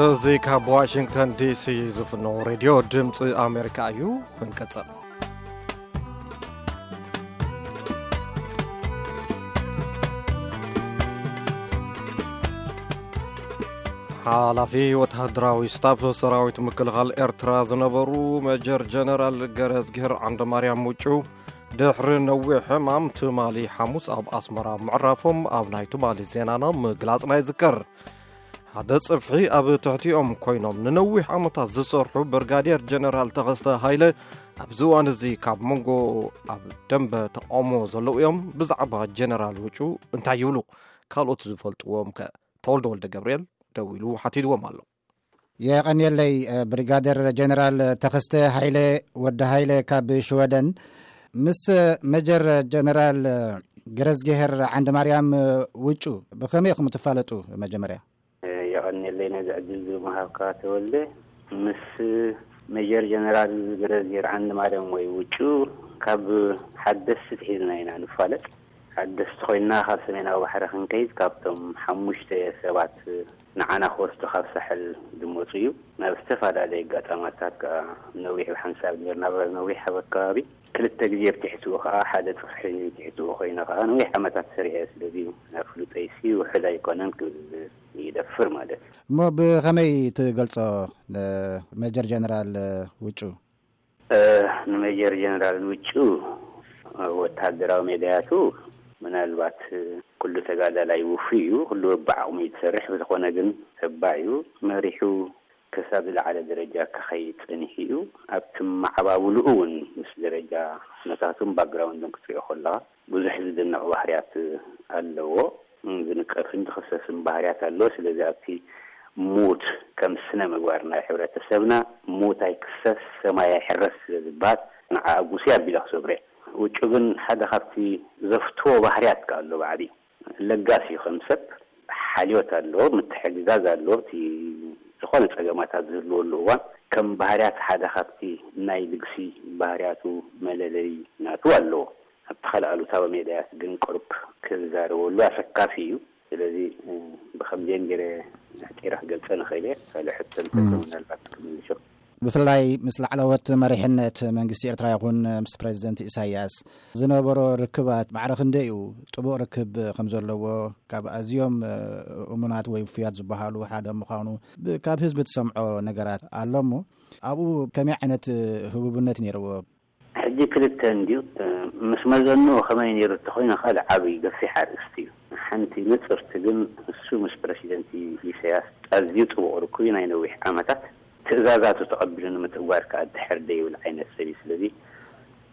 እዚ ካብ ዋሽንግተን ዲሲ ዝፍኖ ሬድዮ ድምፂ ኣሜሪካ እዩ። ክንቀፅል። ሓላፊ ወተሃደራዊ ስታፍ ሰራዊት ምክልኻል ኤርትራ ዝነበሩ መጀር ጀነራል ገረዝግሄር ዓንደማርያም ውጩ ድሕሪ ነዊሕ ሕማም ትማሊ ሓሙስ ኣብ ኣስመራ ምዕራፎም ኣብ ናይ ትማሊ ዜናና ምግላጽና ይዝከር። ሓደ ጽፍሒ ኣብ ትሕቲኦም ኮይኖም ንነዊሕ ዓመታት ዝሰርሑ ብርጋዴር ጀነራል ተኸስተ ሃይለ ኣብዚ እዋን እዚ ካብ መንጎ ኣብ ደንበ ተቃውሞ ዘለዉ እዮም። ብዛዕባ ጀነራል ውጩ እንታይ ይብሉ? ካልኦት ዝፈልጥዎም ከ? ተወልደ ወልደ ገብርኤል ደዊሉ ሓቲትዎም ኣሎ። የቐንየለይ፣ ብሪጋደር ጀነራል ተኸስተ ሃይለ፣ ወዲ ሃይለ ካብ ሽወደን። ምስ መጀር ጀነራል ገረዝጌሄር ዓንደ ማርያም ውጩ ብኸመይ ኢኹም ትፋለጡ? መጀመርያ። የቐንየለይ ነዚ ዕድል እዚ ምሃብካ ተወልደ። ምስ ሜጀር ጀነራል ገረዝጌሄር ዓንደ ማርያም ወይ ውጩ ካብ ሓደስቲ ትሒዝና ኢና ንፋለጥ። ሓደስቲ ኮይና ካብ ሰሜናዊ ባሕሪ ክንከይድ ካብቶም ሓሙሽተ ሰባት ንዓና ክወስዱ ካብ ሳሕል ዝመፁ እዩ። ናብ ዝተፈላለየ ኣጋጣማታት ከዓ ነዊሕ ብሓንሳብ ጌርና ነዊሕ ኣብ ኣከባቢ ክልተ ግዜ ኣብ ትሕትኡ ከዓ ሓደ ፅፍሒ ትሕትኡ ኮይነ ከዓ ነዊሕ ዓመታት ሰሪሐ። ስለዚ ናብ ፍሉጠይሲ ውሕድ ኣይኮነን ክብል ይደፍር ማለት እዩ። እሞ ብኸመይ ትገልጾ ንሜጀር ጀነራል ውጩ? ንሜጀር ጀነራል ውጩ ወተሃደራዊ ሜዳያቱ ምናልባት ኩሉ ተጋዳላይ ውፉይ እዩ፣ ኩሉ በብዓቕሙ እዩ ዝሰርሕ። ብዝኾነ ግን ተባዕ እዩ፣ መሪሑ ክሳብ ዝለዓለ ደረጃ ክኸይድ ጸኒሑ እዩ። ኣብቲ መዓባብልኡ እውን ምስ ደረጃ ኩነታቱን ባክግራውንዱን ክትሪኦ ከለኻ ብዙሕ ዝድነቕ ባህርያት ኣለዎ። ዝንቀፍን ዝኽሰስን ባህርያት ኣለዎ። ስለዚ ኣብቲ ሞት ከም ስነ ምግባር ናይ ሕብረተሰብና ሞት ኣይክሰስ ሰማይ ኣይሕረስ ስለ ዝበሃል ንዓ ኣጉሲ ኣቢለ ክሰብሮ እየ። ውጩ ግን ሓደ ካብቲ ዘፍትዎ ባህርያት ከ ኣሎ ብዓብዩ ለጋስ እዩ። ከም ሰብ ሓልዮት ኣለዎ፣ ምትሕግጋዝ ኣለዎ። እቲ ዝኾነ ጸገማታት ዝህልወሉ እዋን ከም ባህርያት ሓደ ካብቲ ናይ ልግሲ ባህርያቱ መለለይ ናቱ ኣለዎ። ኣብቲ ካልእ ኣሉታዊ ሜዳያት ግን ቅሩብ ክዛረበሉ ኣሰካፊ እዩ። ስለዚ ብከምዚአን ገይረ ኣሕፂረ ክገልፀ ንኽእል እየ። ካልእ ሕቶ እንተሎ ምናልባት ክምልሶ። ብፍላይ ምስ ላዕለዎት መሪሕነት መንግስቲ ኤርትራ ይኹን ምስ ፕሬዚደንት ኢሳያስ ዝነበሮ ርክባት ማዕረ ክንደይ እዩ? ጥቡቕ ርክብ ከም ዘለዎ ካብ ኣዝዮም እሙናት ወይ ውፉያት ዝበሃሉ ሓደ ምዃኑ ብ-፣ ካብ ህዝቢ ትሰምዖ ነገራት ኣሎ እሞ ኣብኡ ከመይ ዓይነት ህቡብነት ነይርዎ? ሕጂ ክልተ እንድዩ። ምስ መዘንኡ ከመይ ነይሩ እንተኾይኑ ካልእ ዓብዪ ገፊሕ ኣርእስቲ እዩ። ሓንቲ ንጽርቲ ግን እሱ ምስ ፕረሲደንት ኢሳያስ ኣዝዩ ጥቡቕ ርኩብ እዩ። ናይ ነዊሕ ዓመታት ትእዛዛቱ ተቐቢሉ ንምትግባር ከኣ ድሕር ደይብል ዓይነት ሰብ እዩ። ስለዚ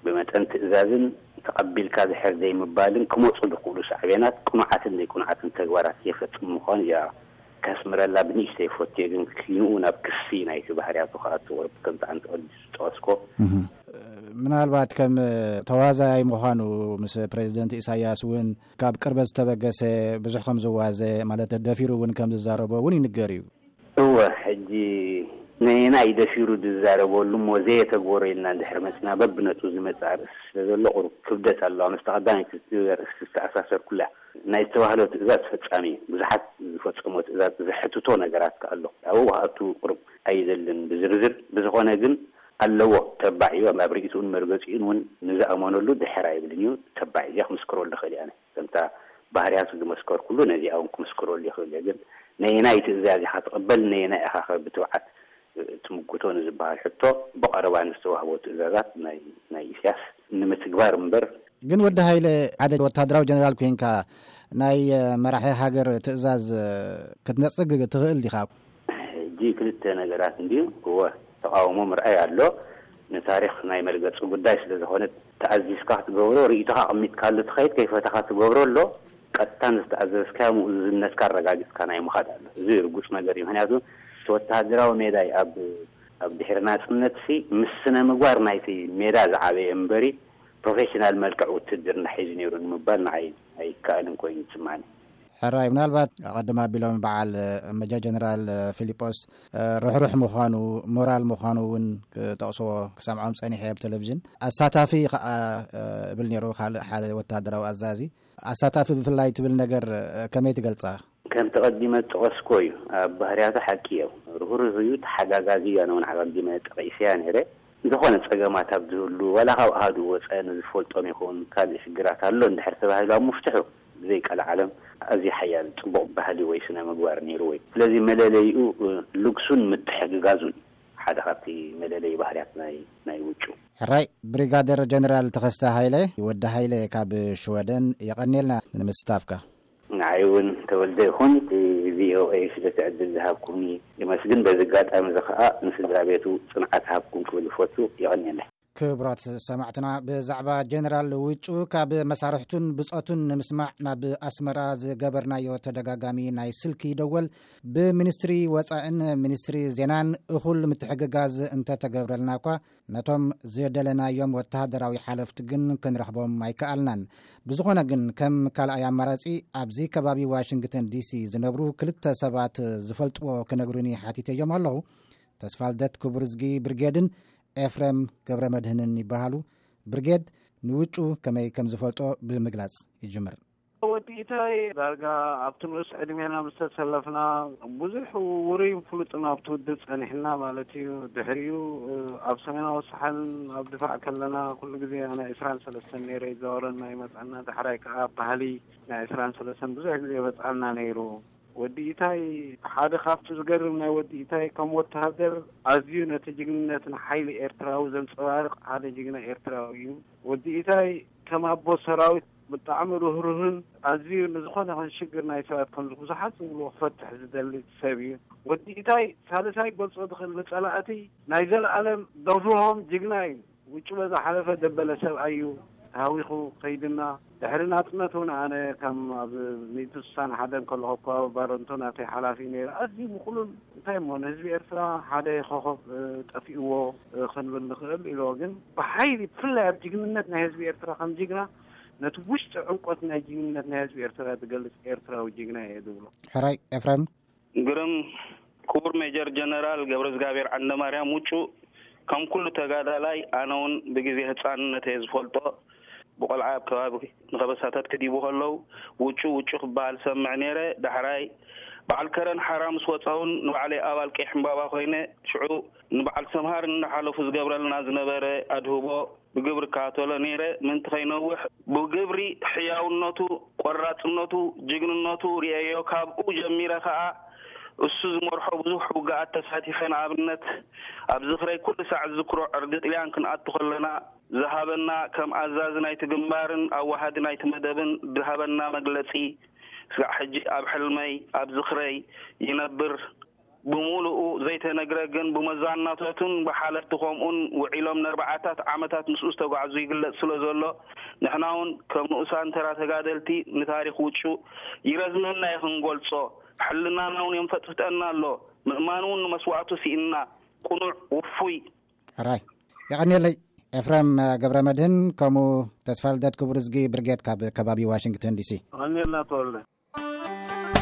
ብመጠን ትእዛዝን ተቐቢልካ ድሕር ደይምባልን ክመጹ ዝኽእሉ ሳዕቤናት ቅኑዓትን ዘይቅኑዓትን ተግባራት የፈጽም ምዃኑ እያ ከስምረላ ብንእሽተይ ፈትየ፣ ግን ኪንኡ ናብ ክሲ ናይቲ ባህርያቱ ክኣቱ ቁሩብ ከምቲ ኣንቲ ቅድም ዝጠቐስኮ። እህ። ምናልባት ከም ተዋዛያይ ምዃኑ ምስ ፕሬዚደንት ኢሳያስ እውን ካብ ቅርበት ዝተበገሰ ብዙሕ ከም ዝዋዘ ማለት ደፊሩ እውን ከም ዝዛረቦ እውን ይንገር እዩ። እወ፣ ሕጂ ነየናይ ደፊሩ ዝዛረበሉ እሞ ዘየተግበሮ ኢልና እንድሕር መፅና በብነጥቡ ዝመፅእ ኣርእስቲ ስለ ዘሎ ቁሩብ ክብደት ኣለዋ። ምስቲ ቀዳመይቲ ኣርእስቲ ዝተኣሳሰርኩላ ናይ ዝተባህሎ ትእዛዝ ፈጻሚ እዩ። ብዙሓት ዝፈጸሞ ትእዛዝ ዘሕትቶ ነገራት ከ ኣሎ። ኣብኡ ክኣቱ ቁሩብ ኣይደልን ብዝርዝር። ብዝኾነ ግን ኣለዎ፣ ተባዕ እዩ። ኣብ ርእይትኡን መርገጺኡን እውን ንዝኣመነሉ ድሕር ኣይብልን እዩ። ተባዕ እዚኣ ክምስክረሉ እኽእል እየ ኣነ። ከምታ ባህርያቱ ዝመስከርኩሉ ነዚኣ እውን ክምስክረሉ ይኽእል እየ። ግን ነየናይ ትእዛዝ ኢኻ ትቕበል፣ ነየናይ ኢኻ ከ ብትብዓት ትምጉቶ ንዝበሃል ሕቶ ብቐረባ ንዝተዋህቦ ትእዛዛት ናይ፣ ናይ ኢሳያስ ንምትግባር እምበር። ግን ወዲ ሃይለ ሓደ ወታደራዊ ጀነራል ኮይንካ ናይ መራሒ ሃገር ትእዛዝ ክትነጽግ ትኽእል ዲኻ? ሕጂ ክልተ ነገራት እንድዩ። እወ፣ ተቃውሞ ምርኣይ ኣሎ። ንታሪኽ ናይ መርገጺ ጉዳይ ስለ ዝኾነ ተኣዚዝካ ክትገብሮ፣ ርእይቶኻ ኣቐሚጥካሉ ትኸይድ፣ ከይፈተኻ ትገብሮ ኣሎ። ቀጥታ ንዝተኣዘዝካዮ ምእዙዝነትካ ኣረጋጊጽካ ናይ ምኻድ ኣሎ። እዚ ርጉጽ ነገር እዩ። ምኽንያቱ እቲ ወተሃደራዊ ሜዳይ ኣብ፣ ኣብ ድሕሪ ናጽነትሲ ምስ ስነ ምግባር ናይቲ ሜዳ ዝዓበየ እምበሪ ፕሮፌሽናል መልክዕ ውትድርና ሒዙ ነይሩ ንምባል ንዓይ ኣይከኣልን ኮይኑ ይስምዓኒ። ሕራይ፣ ምናልባት ኣቐድም ኣቢሎም በዓል መጀር ጀነራል ፊሊጶስ ርሕሩሕ ምዃኑ፣ ሞራል ምዃኑ እውን ክጠቕስዎ ክሰምዖም ጸኒሐ ኣብ ቴሌቪዥን። ኣሳታፊ ከኣ እብል ነይሩ ካልእ ሓደ ወተሃደራዊ ኣዛዚ። ኣሳታፊ ብፍላይ ትብል ነገር ከመይ ትገልጻ? ከም ተቐዲመ ዝጠቐስኮ እዩ። ኣብ ባህርያቱ ሓቂ እዮም። ርህሩህ እዩ፣ ተሓጋጋዚ እዩ። ኣነ እውን ኣቐዲመ ጠቒሰያ ነይረ። ዝኾነ ጸገማት ኣብ ዝህሉ፣ ዋላ ካብ ኣሃዱ ወጸ ንዝፈልጦም ይኹን ካልእ ሽግራት ኣሎ እንድሕር ተባሂሉ ኣብ ምፍትሑ ብዘይ ቀልዓለም ኣዝዩ ሓያል ጽቡቕ ባህሊ ወይ ስነ ምግባር ነይሩ ወይ። ስለዚ መለለይኡ፣ እ፣ ልግሱን ምትሕግጋዙን ሓደ ካብቲ መለለይ ባህርያት ናይ፣ ናይ ውጩ። ሕራይ፣ ብሪጋደር ጀነራል ተኸስተ ሃይለ፣ ወዲ ሃይለ ካብ ሽወደን፣ የቐንየልና ንምስታፍካ። ንዓይ እውን ተወልደ ይኹን ቪኦኤ ስለቲ ዕድል ዝሃብኩምኒ የመስግን። በዚ ኣጋጣሚ እዚ ኸኣ ንስድራ ቤቱ ጽንዓት ሃብኩም ክብል ይፈቱ። የቐንየለይ። ክቡራት ሰማዕትና፣ ብዛዕባ ጀነራል ውጩ ካብ መሳርሕቱን ብጾቱን ንምስማዕ ናብ ኣስመራ ዝገበርናዮ ተደጋጋሚ ናይ ስልኪ ደወል ብሚኒስትሪ ወጻእን ሚኒስትሪ ዜናን እኹል ምትሕግጋዝ እንተተገብረልና እኳ፣ ነቶም ዝደለናዮም ወተሃደራዊ ሓለፍቲ ግን ክንረኽቦም ኣይከኣልናን። ብዝኾነ ግን፣ ከም ካልኣይ ኣማራጺ፣ ኣብዚ ከባቢ ዋሽንግተን ዲሲ ዝነብሩ ክልተ ሰባት ዝፈልጥዎ ክነግሩኒ ሓቲተዮም ኣለኹ። ተስፋልደት ክቡርዝጊ ብርጌድን ኤፍሬም ገብረ መድህንን ይበሃሉ። ብርጌድ ንውጩ ከመይ ከም ዝፈልጦ ብምግላጽ ይጅምር። ወዲ ኢታይ ዳርጋ ኣብቲ ንኡስ ዕድሜና ምስ ተሰለፍና ብዙሕ ውሩይን ፍሉጥን ኣብቲ ውድብ ጸኒሕና ማለት እዩ። ድሕሪኡ፣ እ፣ ኣብ ሰሜናዊ ሳሕል ኣብ ድፋዕ ከለና ኩሉ ግዜ ናይ ዕስራን ሰለስተን ነይረ ይዛወረና ይመጽኣና። ዳሕራይ ከኣ ባህሊ ናይ ዕስራን ሰለስተን ብዙሕ ግዜ ይመጽኣና ነይሩ። ወዲ ኢታይ ሓደ ካብቲ ዝገርም ናይ ወዲ ኢታይ ከም ወተሃደር ኣዝዩ ነቲ ጅግንነትን ሓይሊ ኤርትራዊ ዘንጸባርቕ ሓደ ጅግና ኤርትራዊ እዩ። ወዲ ኢታይ ከም ኣቦ ሰራዊት ብጣዕሚ ርህሩህን ኣዝዩ ንዝኾነ ይኹን ሽግር ናይ ሰባት ከም ብዙሓት ዝብልዎ ክፈትሕ ዝደሊ ሰብ እዩ። ወዲ ኢታይ ሳልሳይ ክገልጾ ዝኽእል ንጸላእቲ ናይ ዘለኣለም ደፍርሆም ጅግና እዩ። ውጩ በዛ ሓለፈ ደበለ ሰብኣይ እዩ ተሃዊኹ ከይድና። ድሕሪ ናጽነት እውን ኣነ ከም ኣብ ሚእቲ ስሳን ሓደን ከለኹ እኳ ባረንቶ ናተይ ሓላፊ ነይረ። ኣዝዩ ምቕሉል፣ እንታይ እሞ ንህዝቢ ኤርትራ ሓደ ኮኸብ፣ እ፣ ጠፊእዎ፣ እ፣ ክንብል ንኽእል ኢልዎ። ግን ብሓይሊ ብፍላይ ኣብ ጅግንነት ናይ ህዝቢ ኤርትራ ከም ጅግና ነቲ ውሽጢ ዕምቆት ናይ ጅግንነት ናይ ህዝቢ ኤርትራ ዝገልጽ ኤርትራዊ ጅግና እየ ዝብሎ። ሕራይ ኤፍሬም። ግርም ክቡር ሜጀር ጀነራል ገብረዝጋብሔር ዓንደማርያም ውጩ፣ ከም ኩሉ ተጋዳላይ ኣነ እውን ብግዜ ህጻንነት እየ ዝፈልጦ። ብቆልዓ ኣብ ከባቢ ንኸበሳታት ክዲቡ ከለዉ ውጩ ውጩ ክበሃል ሰምዕ ነይረ። ዳሕራይ በዓል ከረን ሓራ ምስ ወጻ እውን ንባዕለይ ኣባል ቀይሕ ዕምባባ ኮይነ ሽዑ ንበዓል ሰምሃር እናሓለፉ ዝገብረልና ዝነበረ ኣድህቦ ብግብሪ እከታተሎ ነይረ። ምእንቲ ከይነውሕ ብግብሪ ሕያውነቱ፣ ቆራጽነቱ፣ ጅግንነቱ ርእየዮ። ካብኡ ጀሚረ ከኣ እሱ ዝመርሖ ብዙሕ ውግኣት ተሳቲፈ። ንኣብነት ኣብ ዝኽረይ ኩሉ ሳዕ ዝዝክሮ ዕርዲ ጥልያን ክንኣቱ ከለና ዝሃበና፣ ከም ኣዛዚ ናይቲ ግንባርን ኣዋሃዲ ናይቲ መደብን ዝሃበና መግለጺ፣ ስጋዕ ሕጂ ኣብ ሕልመይ፣ ኣብ ዝኽረይ ይነብር። ብምሉኡ ዘይተነግረ ግን ብመዛናቶትን ብሓለፍቲ ከምኡን ውዒሎም ነርባዓታት ዓመታት ምስኡ ዝተጓዕዙ ይግለጽ ስለ ዘሎ፣ ንሕና እውን ከም ንኡሳን ተራ ተጋደልቲ ንታሪኽ ውጩ ይረዝመና እዩ ክንገልጾ። ሕልናና እውን የንፈጥፍጠና ኣሎ። ምእማን እውን ንመስዋእቱ ስኢንና። ቅኑዕ፣ ውፉይ። ሕራይ። የቐንየለይ ኤፍሬም ገብረ መድህን፣ ከምኡ ተስፋልደት ክቡር ዝጊ ብርጌድ ካብ ከባቢ ዋሽንግተን ዲሲ። የቐንየልና ተወልደ።